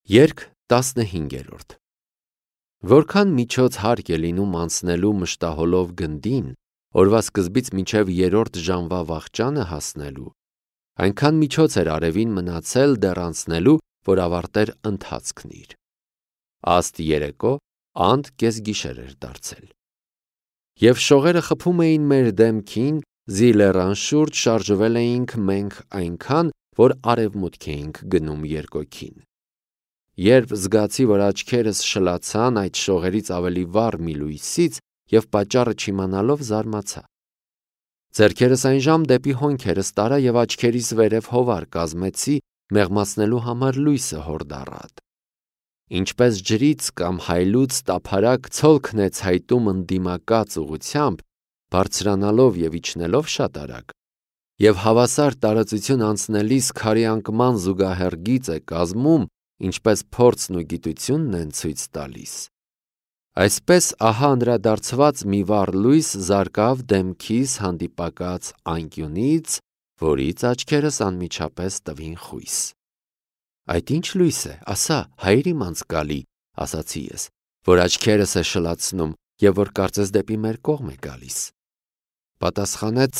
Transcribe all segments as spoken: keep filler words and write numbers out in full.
Երգ տասնհինգերորդ Որքան միջոց հարկ է լինում անցնելու մշտահոլով գնդին, օրվա սկզբից մինչև երրորդ ժամվա վախճանը հասնելու, այնքան միջոց էր արևին մնացել դեռ անցնելու, որ ավարտեր ընթացքն իր։ Աստ երեկո անդ կեսգիշեր էր դարձել։ Եվ շողերը խփում էին մեր դեմքին, զի լեռան շուրջ շարժվել էինք մենք այնքան, որ արևմուտք էինք գնում երկօքին։ Երբ զգացի, որ աչքերս շլացան այդ շողերից ավելի վառ մի լույսից և պատճառը չիմանալով զարմացա։ Ձեռքերս այնժամ դեպի հոնքերս տարա և աչքերիս վերև հովար կազմեցի մեղմացնելու համար լույսը հորդառատ։ Ինչպես ջրից կամ հայլուց տափարակ ցոլքն է ցայտում ընդդիմակաց ուղղությամբ, բարձրանալով և իջնելով շատ արագ, և հավասար տարածություն անցնելիս քարի անկման զուգահեռ գիծ է կազմում, ինչպես փորձն ու գիտությունն են ցույց տալիս, այսպես ահա անդրադարձված մի վառ լույս զարկավ դեմքիս հանդիպակաց անկյունից, որից աչքերս անմիջապես տվին խույս։ Այդ ի՞նչ լույս է, ասա, հայր իմ անձկալի, ասացի ես, որ աչքերս է շլացնում և որ կարծես դեպի մեր կողմ է գալիս։ Պատասխանեց.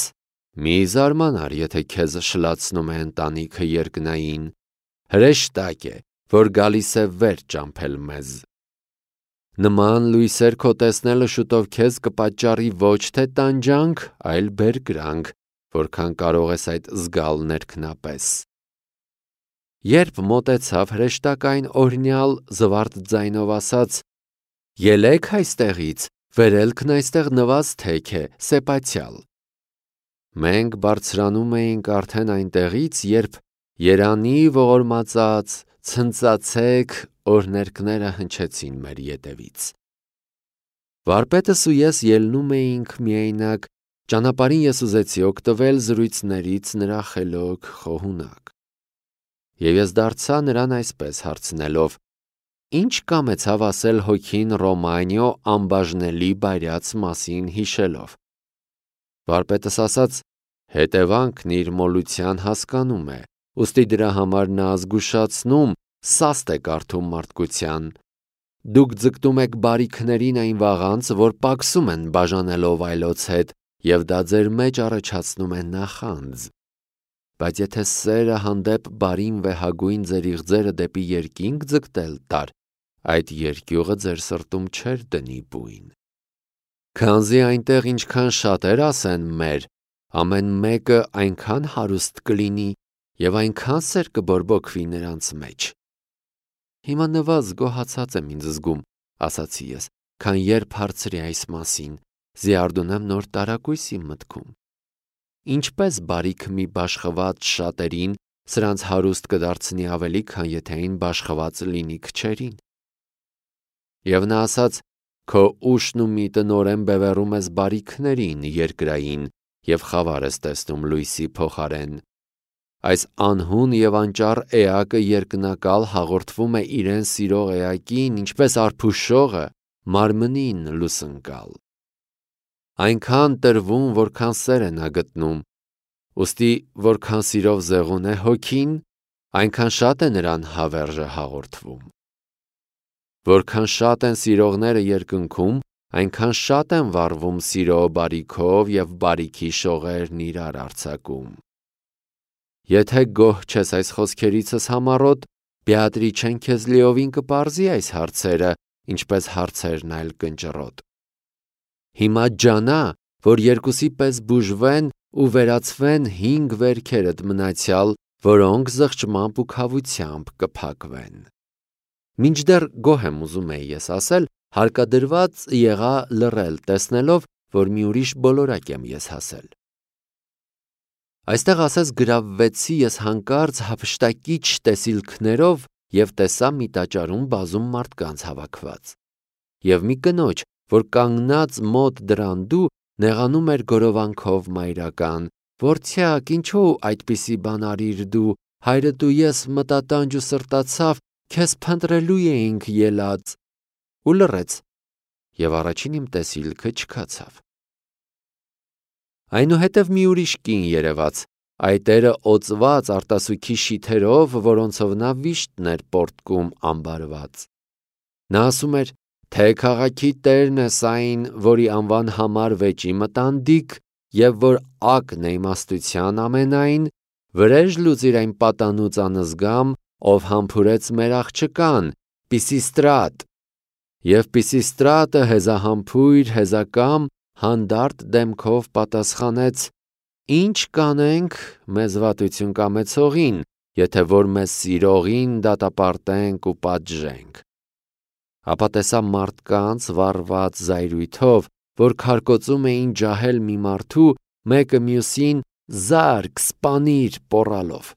մի զարմանար, եթե քեզ շլացնում է ընտանիքը երկնային, հրեշտակ է, որ գալիս է վեր ճամփել մեզ։ Նման լույսեր քո տեսնելը շուտով քեզ կպատճառի ոչ թե տանջանք, այլ բերկրանք, որքան կարող ես այդ զգալ ներքնապես։ Երբ մոտեցավ, հրեշտակային օրհնյալ զվարթ ձայնով ասաց. «Ելեք այստեղից, վերելքն այստեղ նվազ թեք է, սեպացյալ»։ Մենք բարձրանում էինք արդեն այնտեղից, երբ երանի ողորմածած, ցնծացեք օրհներգները հնչեցին մեր ետևից։ Վարպետս ու ես ելնում էինք միայնակ, ճանապարհին ես ուզեցի օգտվել զրույցներից նրա խելոք խոհունակ։ Եվ ես դարձա նրան այսպես հարցնելով. «Ինչ կամեցավ ասել հոգին Ռոմանիո անբաժնելի բայրաց մասին հիշելով»։ Վարպետս ասաց. «Հետևանքն իր մոլության հասկանում է, ուստի դրա համար նա զգուշացնում, սաստ է կարդում մարդկության։ Դուք ձգտում եք բարիքներին այն վաղանց, որ պակսում են բաժանելով այլոց հետ, և դա ձեր մեջ առաջացնում է նախանձ։ Բայց եթե սերը հանդեպ բարին վեհագույն ձեր իղձերը դեպի երկինք ձգտել տար, այդ երկյուղը ձեր սրտում չէր դնի բույն։ Քանզի այնտեղ ինչքան շատեր ասեն մեր, ամեն մեկը այնքան հարուստ կլինի և այնքան սեր կբորբոքվի նրանց մեջ։ Հիմա նվազ գոհացած եմ ինձ զգում, ասացի ես, քան երբ հարցրի այս մասին, զիարդունեմ նոր տարակույս իմ մտքում։ Ինչպես բարիքը մի բաշխված շատերին սրանց հարուստ կդարձնի ավելի, քան եթե այն բաշխված լինի քչերին։ Եվ նա ասաց. «Քո ուշն ու միտը նորեն բևեռում ես բարիքներին երկրային և խավար ես տեսնում լույսի փոխարեն։ Այս անհուն և անճառ էակը երկնակալ հաղորդվում է իրեն սիրող էակին, ինչպես արփուշողը մարմնին լուսնկալ։ Այնքան տրվում, որքան սեր է նա գտնում, ուստի որքան սիրով զեղուն է հոգին, այնքան շատ է նրան հավերժը հաղորդվում։ Որքան շատ են սիրողները երկնքում, այնքան շատ են վառվում սիրո բարիքով և բարիքի շողերն իրար արձակում։ Եթե գոհ չես այս խոսքերիցս համառոտ, Բեատրիչեն քեզ լիովին կպարզի այս հարցերը, ինչպես հարցերն այլ կնճռոտ։ Հիմա ջանա, որ երկուսի պես բուժվեն ու վերացվեն հինգ վերքերդ մնացյալ, որոնք զղջմամբ ու քավությամբ կփակվեն։ Մինչդեռ գոհ եմ ուզում էի ես ասել, հարկադրված եղա լռել, տեսնելով, որ մի ուրիշ բոլորակ եմ ես հասել։ Այստեղ ասես գրավվեցի ես հանկարծ հափշտակիչ տեսիլքներով և տեսա մի տաճարում բազում մարդկանց հավաքված։ Եվ մի կնոջ, որ կանգնած մոտ դրանդու նեղանում էր գորովանքով մայրական. «Որդյակ, ինչու այդպիսի բան արիր դու, հայրդ ու ես մտատանջ ու սրտացավ, քեզ փնտրելու էինք ելած»։ Ու լռեց, և առաջին իմ տեսիլքը չքացավ։ Այնուհետև մի ուրիշ կին երևաց, Այդ տերը օծված արտասուքի շիթերով, որոնցով նա վիշտն էր պոռթկում ամբարված։ Նա ասում էր, թե քաղաքի տերն ես այն, որի անվան համար վեճի մտանդիք, և որ ակն է իմաստության ամենայն, վրեժ լուծիր այն պատանուց անզգամ, ով համբուրեց մեր աղջկան, Պիսիստրատ։ Եվ Պիսիստրատը հեզահամբույր հեզակամ հանդարտ դեմքով պատասխանեց. Ինչ կանենք մեզ վատություն կամեցողին, եթե որ մեզ սիրողին դատապարտենք ու պատժենք։ Ապա տեսա մարդկանց վառված զայրույթով, որ քարկոծում էին ջահել մի մարդու, մեկը մյուսին զարկ, սպանիր պոռալով։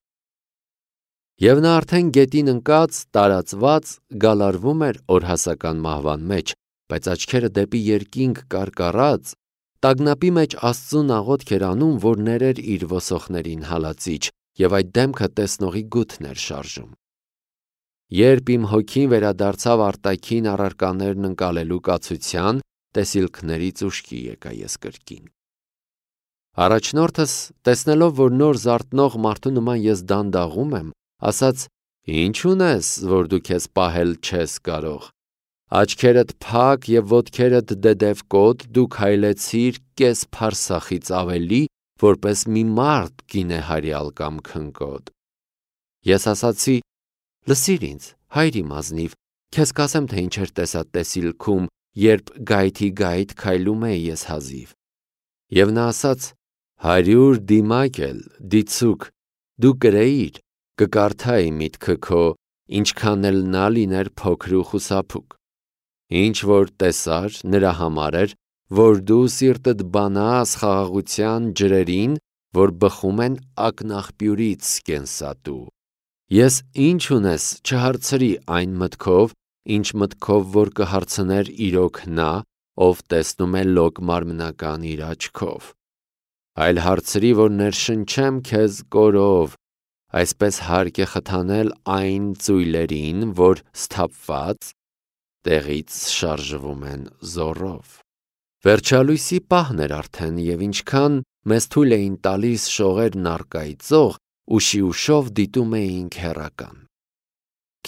Եվ նա արդեն գետին ընկած, տարածված, գալարվում էր օրհասական մահվան մեջ, բայց աչքերը դեպի երկինք կարկառած, տագնապի մեջ Աստծուն աղոթք էր անում, որ ներեր իր ոսոխներին հալածիչ, և այդ դեմքը տեսնողի գութն էր շարժում։ Երբ իմ հոգին վերադարձավ արտաքին առարկաներն ընկալելու կացության, տեսիլքներից ուշքի եկա ես կրկին։ Առաջնորդս, տեսնելով, որ նոր զարթնող մարդու նման ես դանդաղում եմ, ասաց. Ինչ ունես, որ դու քեզ պահել չես կարող։ Աչքերդ փակ և ոտքերդ դեդևկոտ, դու քայլեցիր կես փարսախից ավելի, որպես մի մարդ գինե հարյալ կամ քնկոտ։ Ես ասացի. լսիր ինձ, հայր իմ ազնիվ, քեզ կասեմ, թե ինչեր տեսա տեսիլքում, երբ գայթի գայթ քայլում էի ես հազիվ։ Եվ նա ասաց. հարյուր դիմակ էլ, դիցուք, դու կրեիր, կկարդայի միտքը քո, ինչքան էլ նա լիներ փոքր ու խուսափուկ։ Ինչ որ տեսար, նրա համար էր, որ դու սիրտդ բանաս խաղաղության ջրերին, որ բխում են ակնաղբյուրից կենսատու։ Ես ինչ ունես չհարցրի այն մտքով, ինչ մտքով որ կհարցներ իրոք նա, ով տեսնում է լոկ մարմնական իր աչքով, այլ հարցրի, որ ներշնչեմ քեզ կորով, այսպես հարկ է խթանել այն ծույլերին, որ սթափված տեղից շարժվում են զոռով։ Վերջալույսի պահն էր արդեն, և ինչքան մեզ թույլ էին տալիս շողերն առկայծող, ուշի ուշով դիտում էինք հեռական։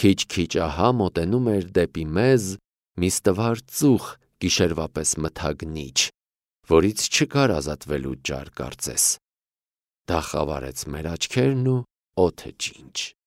Քիչ-քիչ ահա մոտենում էր դեպի մեզ մի ստվար ծուխ գիշերվա պես մթագնիչ, որից չկար ազատվելու ջար կարծես։ Դա խավարեց մեր աչքերն ու օդը ջինջ։